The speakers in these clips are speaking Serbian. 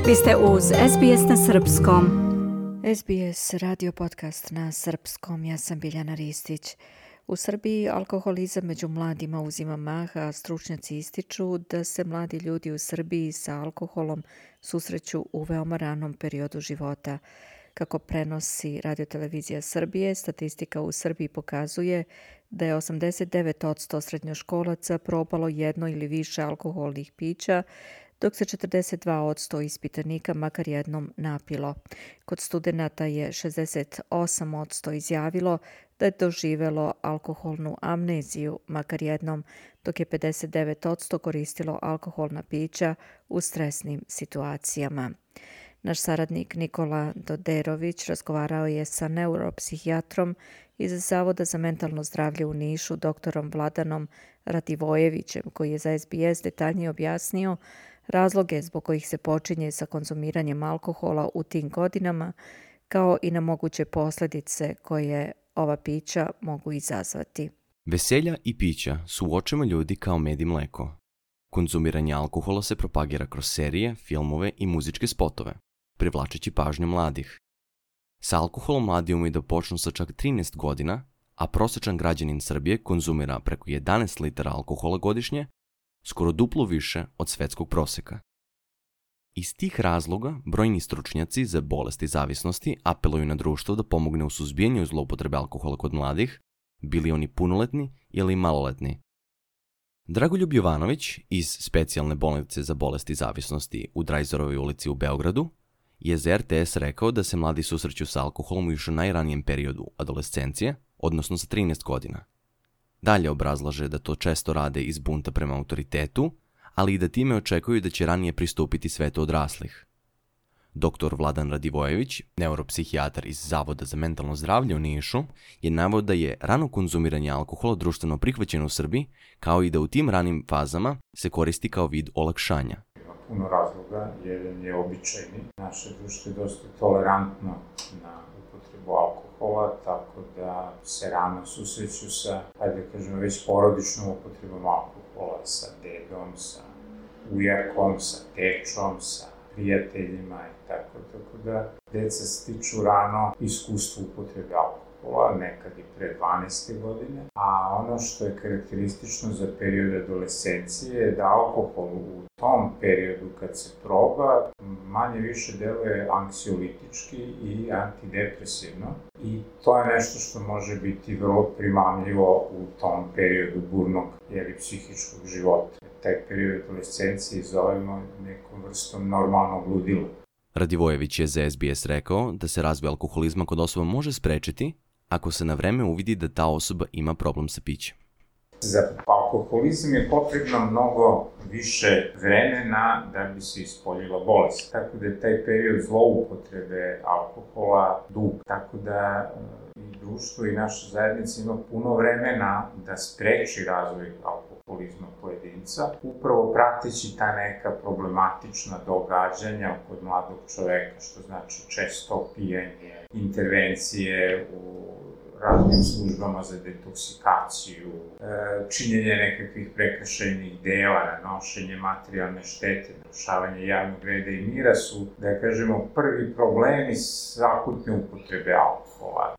Vi ste uz SBS na srpskom. SBS radio podcast na srpskom, ja sam Biljana Ristić. U Srbiji alkoholizam među mladima uzima maha, a stručnjaci ističu da se mladi ljudi u Srbiji sa alkoholom susreću u veoma ranom periodu života. Kako prenosi Radio-televizija Srbije, statistika u Srbiji pokazuje da je 89% srednjoškolaca probalo jedno ili više alkoholnih pića, dok se 42% ispitanika makar jednom napilo. Kod studenata je 68% izjavilo da je doživelo alkoholnu amneziju makar jednom, dok je 59% koristilo alkoholna pića u stresnim situacijama. Naš saradnik Nikola Doderović razgovarao je sa neuropsihijatrom iz Zavoda za mentalno zdravlje u Nišu, doktorom Vladanom Radivojevićem, koji je za SBS detaljnije objasnio razloge zbog kojih se počinje sa konzumiranjem alkohola u tim godinama, kao i na moguće posljedice koje ova pića mogu izazvati. Veselja i pića su u očima ljudi kao med i mleko. Konzumiranje alkohola se propagira kroz serije, filmove i muzičke spotove, privlačeći pažnju mladih. Sa alkoholom mladi umeju da počnu sa čak 13 godina, a prosječan građanin Srbije konzumira preko 11 litara alkohola godišnje, skoro duplo više od svetskog proseka. Iz tih razloga brojni stručnjaci za bolesti zavisnosti apeluju na društvo da pomogne u suzbijanju zloupotrebe alkohola kod mladih, bili oni punoletni ili maloletni. Dragoljub Jovanović iz specijalne bolnice za bolesti zavisnosti u Drajzorovoj ulici u Beogradu je za RTS rekao da se mladi susreću sa alkoholom još u najranijem periodu adolescencije, odnosno sa 13 godina. Dalje obrazlaže da to često rade iz bunta prema autoritetu, ali i da time očekuju da će ranije pristupiti svetu odraslih. Doktor Vladan Radivojević, neuropsihijatar iz Zavoda za mentalno zdravlje u Nišu, je naveo da je rano konzumiranje alkohola društveno prihvaćeno u Srbiji, kao i da u tim ranim fazama se koristi kao vid olakšanja. Ima puno razloga, jedan je običajni. Naše društvo je dosta tolerantno na upotrebu alkohola, tako da se rano susreću sa, hajde da kažemo, već porodičnom upotrebom alkohola, sa dedom, sa ujakom, sa tečom, sa prijateljima i tako da deca stiču rano iskustvo upotrebe alkohola, nekad i pre 12. godine, a ono što je karakteristično za period adolescencije je da alkohol u tom periodu kad se proba manje više deluje anksiolitički i antidepresivno i to je nešto što može biti vrlo primamljivo u tom periodu burnog psihičkog života. Taj period adolescencije zovemo nekom vrstom normalnog ludila. Radivojević je za SBS rekao da se razvoj alkoholizma kod osoba može sprečiti ako se na vreme uvidi da ta osoba ima problem sa pićem. Za alkoholizam je potrebno mnogo više vremena da bi se ispoljila bolest. Tako da je taj period zloupotrebe alkohola dug. Tako da i društvo i naša zajednica ima puno vremena da spreči razvoj alkoholizma pojedinca, upravo prateći ta neka problematična događanja kod mladog čoveka, što znači često pijanje, intervencije u raznim službama za detoksikaciju, činjenje nekakvih prekršajnih dela, nanošenje materijalne štete, narušavanje javnog reda i mira su, da kažemo, prvi problemi akutne upotrebe alkohola.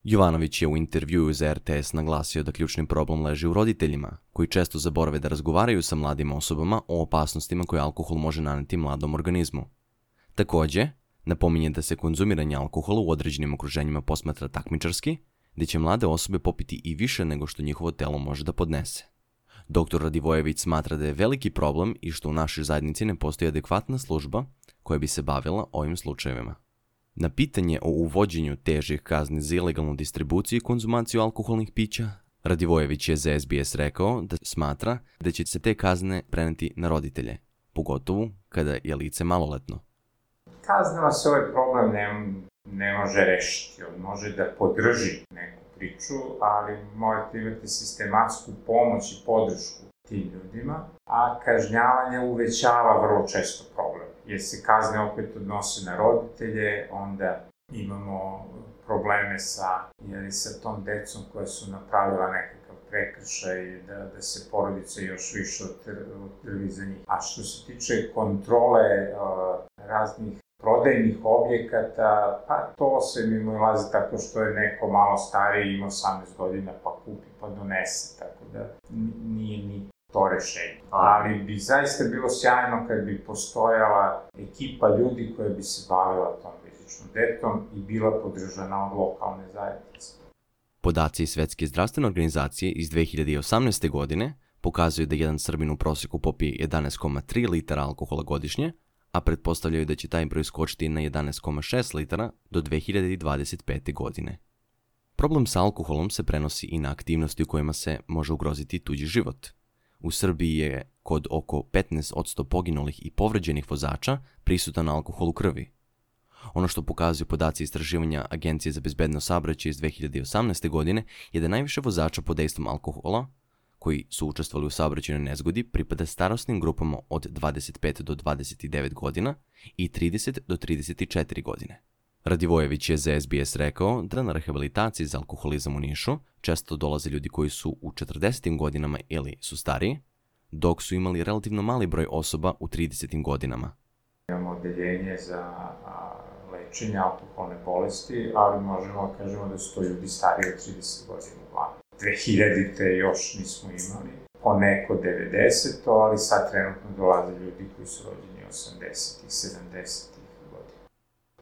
Jovanović je u intervjuu za RTS naglasio da ključni problem leži u roditeljima, koji često zaborave da razgovaraju sa mladim osobama o opasnostima koje alkohol može naneti mladom organizmu. Takođe, napominje da se konzumiranje alkohola u određenim okruženjima posmatra takmičarski, gde će mlade osobe popiti i više nego što njihovo telo može da podnese. Dr. Radivojević smatra da je veliki problem i što u našoj zajednici ne postoji adekvatna služba koja bi se bavila ovim slučajevima. Na pitanje o uvođenju težih kazni za ilegalnu distribuciju i konzumaciju alkoholnih pića, Radivojević je za SBS rekao da smatra da će se te kazne preneti na roditelje, pogotovo kada je lice maloletno. Kaznama se ovaj problem ne može rešiti. On može da podrži neku priču, ali morate imati sistematsku pomoć i podršku tim ljudima, a kažnjavanje uvećava vrlo često problem. Jer se kazne opet odnose na roditelje, onda imamo probleme sa tom decom koja su napravila nekakav prekršaj, da se porodica još više otrvi za njih. A što se tiče kontrole raznih prodajnih objekata, pa to se mimoilazi tako što je neko malo stariji, ima 18 godina, pa kupi, pa donese, tako da nije ni to rešenje. Ali bi zaista bilo sjajno kad bi postojala ekipa ljudi koja bi se bavila tom rizičnom detom i bila podržana od lokalne zajednice. Podaci Svetske zdravstvene organizacije iz 2018. godine pokazuju da jedan Srbin u proseku popije 11,3 litara alkohola godišnje, a pretpostavljaju da će taj broj skočiti na 11,6 litara do 2025. godine. Problem sa alkoholom se prenosi i na aktivnosti u kojima se može ugroziti tuđi život. U Srbiji je kod oko 15% poginulih i povređenih vozača prisutan alkohol u krvi. Ono što pokazuju podaci istraživanja Agencije za bezbednost saobraćaja iz 2018. godine je da najviše vozača pod dejstvom alkohola koji su učestvovali u saobraćajnoj nezgodi pripada starosnim grupama od 25 do 29 godina i 30 do 34 godine. Radivojević je za SBS rekao da na rehabilitaciji za alkoholizam u Nišu često dolaze ljudi koji su u 40. godinama ili su stariji, dok su imali relativno mali broj osoba u 30. godinama. Imamo odeljenje za lečenje alkoholne bolesti, ali možemo da kažemo da su to ljudi stariji od 30 godina uglavnom. 2000-te još nismo imali, poneko 90-to, ali sad trenutno dolaze ljudi koji su rođeni 80-ih, 70-ih godina.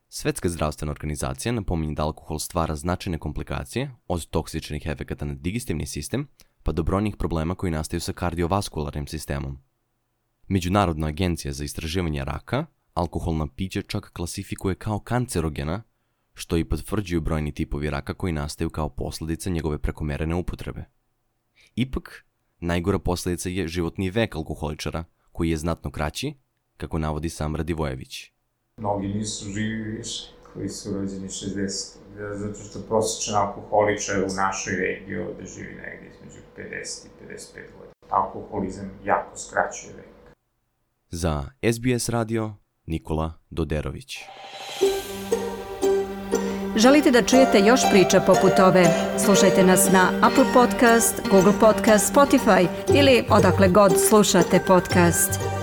Svetska zdravstvena organizacija napominje da alkohol stvara značajne komplikacije, od toksičnih efekata na digestivni sistem, pa do brojnih problema koji nastaju sa kardiovaskularnim sistemom. Međunarodna agencija za istraživanje raka alkoholna pića čak klasifikuje kao kancerogena, što i potvrđuju brojni tipovi raka koji nastaju kao posljedica njegove prekomerene upotrebe. Ipak, najgora posljedica je životni vek alkoholičara, koji je znatno kraći, kako navodi sam Radivojević. Mnogi nisu živi više, koji su rođeni 60. Zato što prosječan alkoholičar u našoj regiji ovde živi negdje između 50 i 55 godina. Alkoholizam jako skraćuje vek. Za SBS radio, Nikola Doderović. Želite da čujete još priča poput ove? Slušajte nas na Apple Podcast, Google Podcast, Spotify ili odakle god slušate podcast.